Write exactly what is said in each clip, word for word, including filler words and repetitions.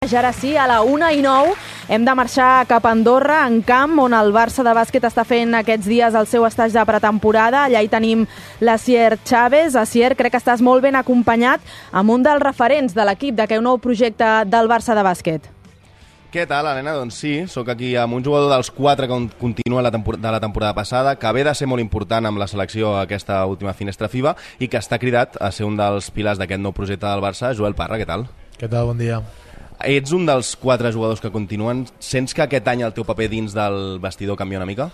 Ara sí, a la una i nou hem de marxar cap a Andorra, en camp, on el Barça de bàsquet està fent aquests dies el seu estatge de pretemporada. Allà hi tenim l'Asier Chávez. Asier, crec que estàs molt ben acompanyat amb un dels referents de l'equip d'aquest nou projecte del Barça de bàsquet. Què tal, Helena? Doncs sí, sóc aquí amb un jugador dels quatre que continua la tempor- de la temporada passada, que ve de ser molt important amb la selecció aquesta última finestra FIBA i que està cridat a ser un dels pilars d'aquest nou projecte del Barça. Joel Parra, què tal? Què tal? Bon dia. Ets un dels quatre jugadors que continuen. Sents que aquest any el teu paper dins del vestidor canvia una mica?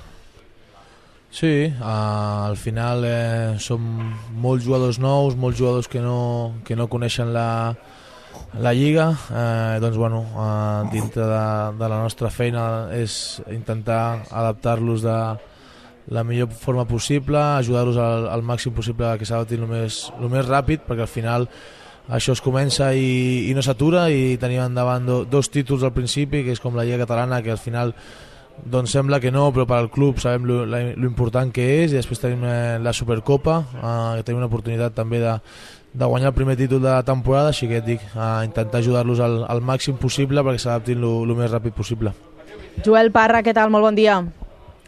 Sí, uh, al final eh, som molts jugadors nous, molts jugadors que no, que no coneixen la, la Lliga. Eh, doncs, bueno, uh, dintre de, de la nostra feina és intentar adaptar-los de la millor forma possible, ajudar-los al, al màxim possible que s'adaptin el més, el més ràpid, perquè al final això es comença i, i no s'atura, i tenim endavant do, dos títols al principi, que és com la Lliga Catalana, que al final doncs sembla que no, però per al club sabem lo, la, lo important que és, i després tenim eh, la Supercopa, eh, que tenim una oportunitat també de, de guanyar el primer títol de la temporada, així que et dic, eh, intentar ajudar-los al, al màxim possible perquè s'adaptin el més ràpid possible. Joel Parra, què tal? Molt bon dia.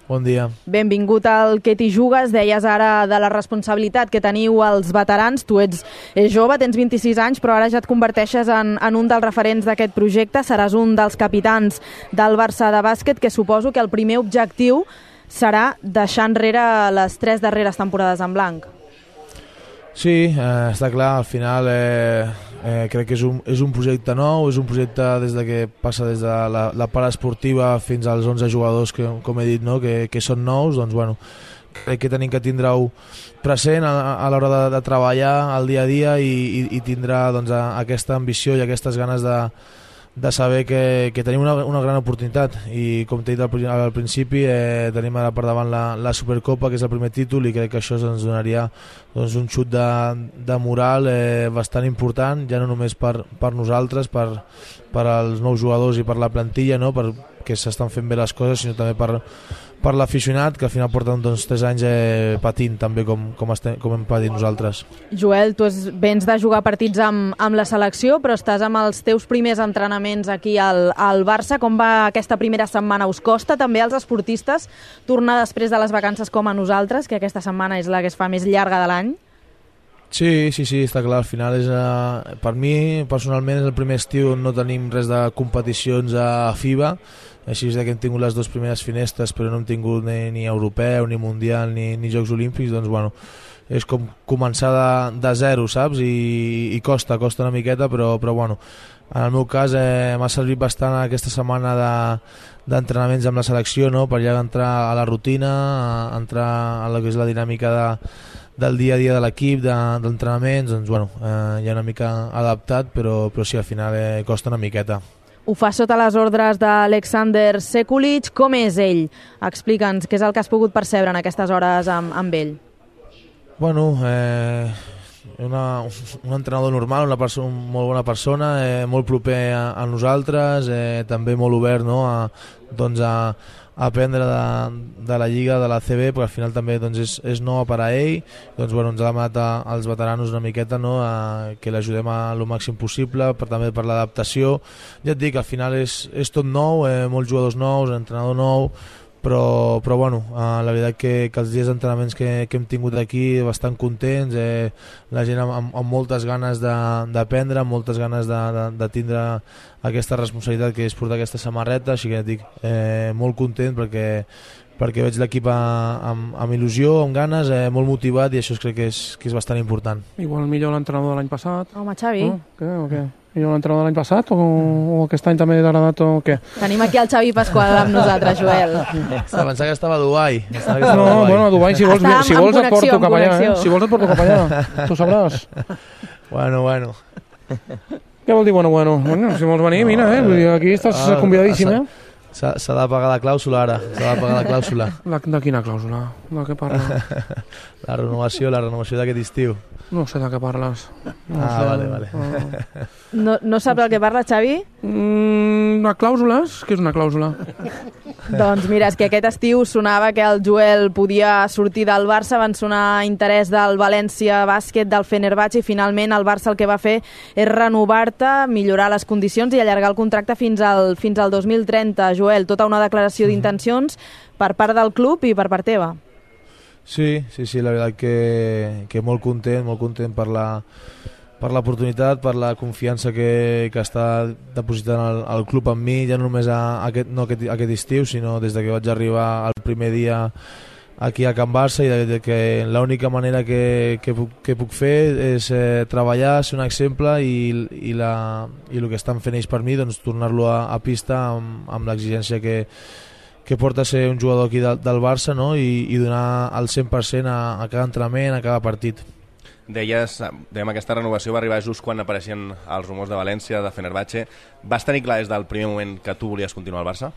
Bon dia. Benvingut al Que t'hi jugues. Deies ara de la responsabilitat que teniu els veterans. Tu ets jove, tens vint-i-sis anys, però ara ja et converteixes en, en un dels referents d'aquest projecte. Seràs un dels capitans del Barça de bàsquet, que suposo que el primer objectiu serà deixar enrere les tres darreres temporades en blanc. Sí, eh, està clar, al final eh, eh, crec que és un, és un projecte nou, és un projecte des de que passa des de la, la part esportiva fins als onze jugadors que, com he dit, no? que, que són nous. Doncs, bueno, crec que tenim que tindre-ho present a, a l'hora de, de treballar al dia a dia i, i, i tindrà doncs, a, aquesta ambició i aquestes ganes de, de saber que, que tenim una, una gran oportunitat, i com t'he dit al, al principi, eh, tenim ara per davant la, la Supercopa, que és el primer títol, i crec que això ens donaria doncs, un xut de, de moral eh, bastant important, ja no només per, per nosaltres, per, per als nous jugadors i per la plantilla, no? Perquè s'estan fent bé les coses, sinó també per, per l'aficionat, que al final porten doncs, tres anys eh, patint també com, com, estem, com hem patit nosaltres. Joel, tu es, vens de jugar partits amb, amb la selecció, però estàs amb els teus primers entrenaments aquí al, al Barça. Com va aquesta primera setmana? Us costa també als esportistes tornar després de les vacances com a nosaltres, que aquesta setmana és la que es fa més llarga de l'any? Sí, sí, sí, està clar. Al final és, uh, per mi personalment és el primer estiu on no tenim res de competicions a FIBA, així és que hem tingut les dues primeres finestres, però no hem tingut ni, ni europeu, ni mundial, ni, ni Jocs Olímpics. Doncs bueno, és com començar de, de zero, saps? I, i costa, costa una miqueta, però, però bueno, en el meu cas eh, m'ha servit bastant aquesta setmana de, d'entrenaments amb la selecció, no? Per ja entrar a la rutina, a entrar a la que és la dinàmica de, del dia a dia de l'equip, de, d'entrenaments. Doncs bueno, eh, ja una mica adaptat, però, però sí, al final eh, costa una miqueta. Ho fa sota les ordres d'Alexander Sekulic. Com és ell? Explica'ns què és el que has pogut percebre en aquestes hores amb, amb ell. Bueno, eh, una, un entrenador normal, una persona, molt bona persona, eh, molt proper a, a nosaltres, eh, també molt obert, no? a, doncs a, a aprendre de, de la Lliga, de la C B, perquè al final també doncs, és, és nova per a ell. Doncs, bueno, ens ha demanat a, als veteranos una miqueta, no? a, que l'ajudem a lo màxim possible, per, també per l'adaptació. Ja et dic, al final és, és tot nou, eh, molts jugadors nous, entrenador nou, però, però bueno, eh, la veritat que, que els dies d'entrenaments que, que hem tingut aquí bastant contents, eh, la gent amb, amb moltes ganes d'aprendre, amb moltes ganes de, de, de tindre aquesta responsabilitat que és portar aquesta samarreta, així que dic, eh, molt content perquè, perquè veig l'equip amb, amb il·lusió, amb ganes, eh, molt motivat, i això crec que és, que és bastant important. Igual millor l'entrenador de l'any passat. Home, Xavi. No? Què, o què? Millor l'entrenador de l'any passat o, o aquest any també t'ha agradat o què? Tenim aquí el Xavi Pasqual amb nosaltres, Joel. Se pensava que estava a Dubai. Estava No, a Dubai. Bueno, a Dubai, si vols, Està si vols en et porto connexió, cap allà, en eh? Si vols et porto cap allà, tu sabràs. Bueno, bueno. Què vol dir bueno, bueno? Bueno, si vols venir, mira, eh? Vull dir, aquí estàs Ah, convidadíssim, eh? S'ha, s'ha de pagar la clàusula ara, s'ha de pagar la clàusula. La, de quina clàusula? De què parles? La renovació, la renovació d'aquest estiu. No sé de què parles. No Ah, sé. vale, vale. Ah. No, no saps el que parla, Xavi? Mm, una clàusula? Què és una clàusula? Doncs mira, és que aquest estiu sonava que el Joel podia sortir del Barça, van sonar interès del València Bàsquet, del Fenerbahçe, i finalment el Barça el que va fer és renovar-te, millorar les condicions i allargar el contracte fins al, fins al dos mil trenta. Joel, tota una declaració d'intencions per part del club i per part teva. Sí, sí, sí, la veritat que, que molt content, molt content per la per l'oportunitat, per la confiança que, que està depositant el, el club en mi, ja no només a, a aquest, no aquest, aquest estiu, sinó des de que vaig arribar el primer dia aquí a Can Barça, i de, de que l'única manera que, que, puc, que puc fer és eh, treballar, ser un exemple, i, i, la, i el que estan fent ells per mi, doncs tornar-lo a, a pista amb, amb l'exigència que, que porta a ser un jugador aquí de, del Barça, no? I, i donar el cent per cent a, a cada entrenament, a cada partit. Deies, dèiem, aquesta renovació va arribar just quan apareixien els rumors de València, de Fenerbahçe. Vas tenir clar des del primer moment que tu volies continuar al Barça?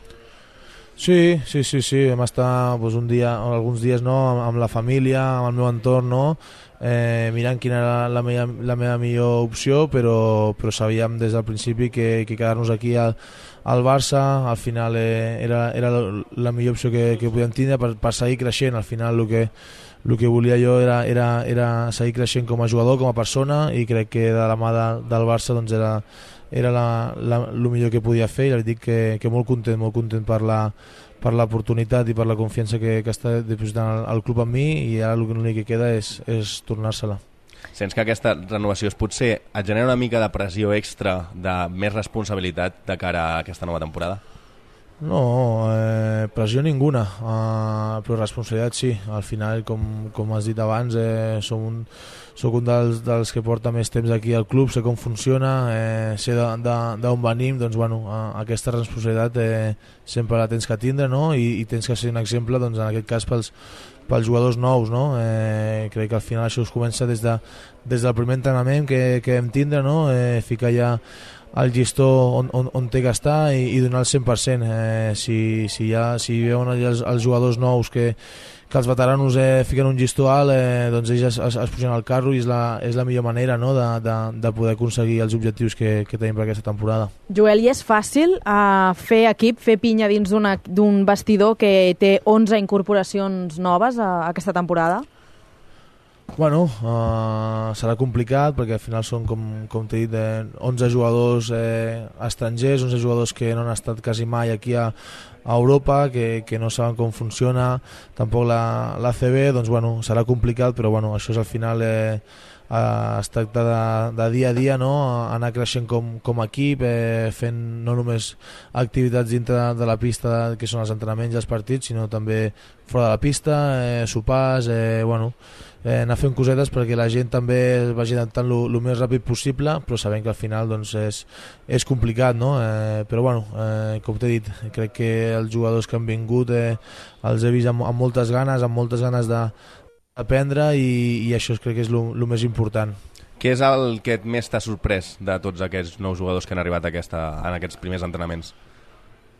Sí, sí, sí, sí. Vam estar doncs, un dia, alguns dies no, amb, amb la família, amb el meu entorn, no? eh, mirant quina era la meva, la meva millor opció, però, però sabíem des del principi que, que quedar-nos aquí al, al Barça al final eh, era, era la millor opció que, que podíem tindre per, per seguir creixent. Al final el que El que volia jo era, era, era seguir creixent com a jugador, com a persona, i crec que de la mà de, del Barça doncs era, era la, la, el millor que podia fer, i li dic que, que molt content, molt content per la per l'oportunitat i per la confiança que, que està depositant el, el club en mi, i ara l'únic que queda és, és tornar-se-la. Sents que aquesta renovació es potser et genera una mica de pressió extra, de més responsabilitat de cara a aquesta nova temporada? No, eh, pressió ninguna, eh, però responsabilitat sí. Al final, com, com has dit abans, eh, som un, soc un dels, dels que porta més temps aquí al club, sé com funciona, eh, sé d'on venim, doncs bueno, eh, aquesta responsabilitat eh, sempre la tens que tindre, no? I, i tens que ser un exemple, doncs, en aquest cas pels, pels jugadors nous, no? Eh, crec que al final això es comença des, de, des del primer entrenament que, que hem tindre, no? Eh, ficar ja el llistó on, on, on té que estar, i, i donar el cent per cent. Eh, si, si, ja, si veuen els, els jugadors nous que, que els veteranos eh, fiquen un llistó alt, eh, doncs ells es, es, es pugen al carro, i és la, és la millor manera, no? de, de, de poder aconseguir els objectius que, que tenim per aquesta temporada. Joel, i és fàcil uh, fer equip, fer pinya dins d'un vestidor que té onze incorporacions noves a, a aquesta temporada? Bueno, uh, serà complicat perquè al final són, com, com t'he dit, eh, onze jugadors eh, estrangers, onze jugadors que no han estat quasi mai aquí a, a Europa, que, que no saben com funciona, tampoc la, la C B, doncs bueno, serà complicat, però bueno, això és al final eh, eh, es tracta de, de dia a dia, no? Anar creixent com, com a equip, eh, fent no només activitats dintre de, de la pista, que són els entrenaments i els partits, sinó també fora de la pista, eh, sopars, eh, bueno, Eh, anar fent cosetes perquè la gent també es vagi adaptant el més ràpid possible, però sabem que al final doncs, és, és complicat, no? Eh, però bueno, eh, com t'he dit, crec que els jugadors que han vingut eh, els he vist amb, amb moltes ganes, amb moltes ganes d'aprendre, i, i això crec que és el més important. Què és el que més t'ha sorprès de tots aquests nous jugadors que han arribat a aquesta, en aquests primers entrenaments?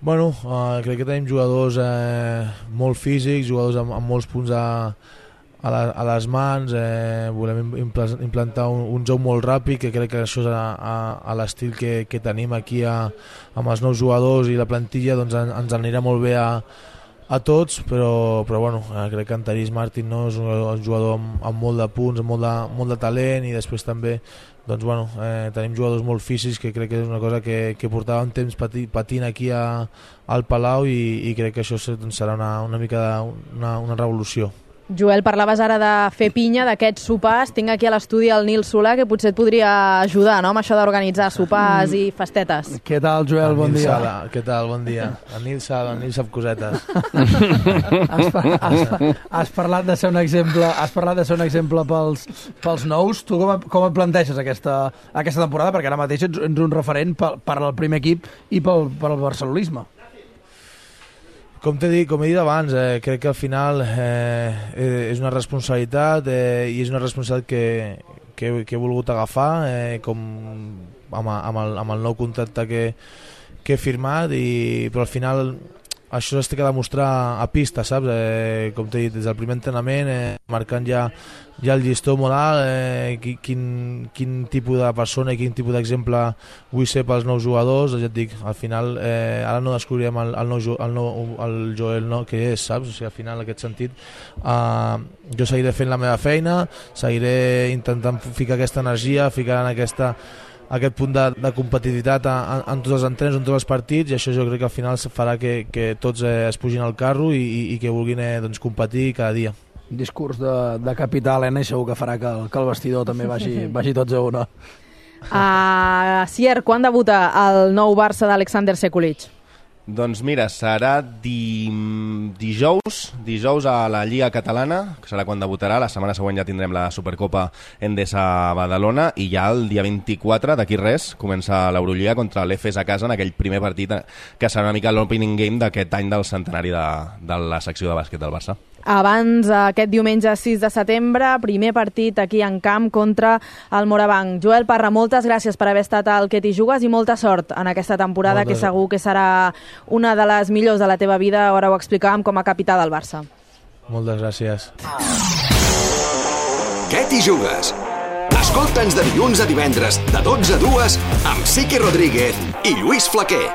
Bueno, eh, crec que tenim jugadors eh, molt físics, jugadors amb, amb molts punts a a, la, a les mans, eh, volem implantar un, un joc molt ràpid, que crec que això és a, a, a l'estil que, que tenim aquí a, amb els nous jugadors i la plantilla, doncs en, ens anirà molt bé a, a tots, però, però bueno, eh, crec que en Taris Martin, no, és un, un jugador amb, amb molt de punts, amb molt de, molt de talent, i després també doncs, bueno, eh, tenim jugadors molt físics, que crec que és una cosa que, que portàvem temps pati, patint aquí a, al Palau, i, i crec que això doncs, serà una, una mica de, una, una revolució. Joel, parlaves ara de fer pinya, d'aquests sopars. Tinc aquí a l'estudi el Nil Solà, que potser et podria ajudar, no?, amb això d'organitzar sopars i festetes. Què tal, Joel? Bon dia. Sala. Què tal? Bon dia. El Nil Sala, el Nil sap cosetes. has, par has, has parlat de ser un exemple, has parlat de ser un exemple pels, pels nous. Tu com, com et planteges aquesta, aquesta temporada? Perquè ara mateix ets, ets un referent per, per al primer equip i pel, per al barcelonisme. Com t'he dit, com he dit abans, eh, crec que al final eh, és una responsabilitat eh, i és una responsabilitat que, que, que he volgut agafar eh, com amb, amb, el, amb el nou contracte que, que he firmat, i, però al final això es té que demostrar a pista, saps? Eh, com t'he dit, des del primer entrenament, eh, marcant ja, ja el llistó molt alt, eh, quin, quin tipus de persona i quin tipus d'exemple vull ser pels nous jugadors. Ja et dic, al final, eh, ara no descobrirem el, el, nou, el, nou, el Joel no, que és, saps? O sigui, al final, en aquest sentit, eh, jo seguiré fent la meva feina, seguiré intentant ficar aquesta energia, ficar en aquesta aquest punt de, de competitivitat en, en tots els entrens, en tots els partits, i això jo crec que al final farà que, que tots eh, es pugin al carro i, i, i que vulguin eh, doncs, competir cada dia. Un discurs de, de capità, Helena, i segur que farà que el, que el vestidor també vagi, vagi tots a una. Uh, Sier, quan debuta el nou Barça d'Alexander Sekulic? Doncs mira, serà di... dijous, dijous a la Lliga Catalana, que serà quan debutarà. La setmana següent ja tindrem la Supercopa Endesa Badalona i ja el dia vint-i-quatre, d'aquí res, comença l'Eurolliga contra l'E F E S a casa en aquell primer partit que serà una mica l'opening game d'aquest any del centenari de, de la secció de bàsquet del Barça. Abans, aquest diumenge sis de setembre, primer partit aquí en camp contra el Morabanc. Joel Parra, moltes gràcies per haver estat al Que t'hi jugues i molta sort en aquesta temporada, moltes... que segur que serà una de les millors de la teva vida, ara ho explicàvem, com a capità del Barça. Moltes gràcies. Que t'hi jugues? Escolta'ns de dilluns a divendres, de dotze a dues, amb Siqui Rodríguez i Lluís Flaquer.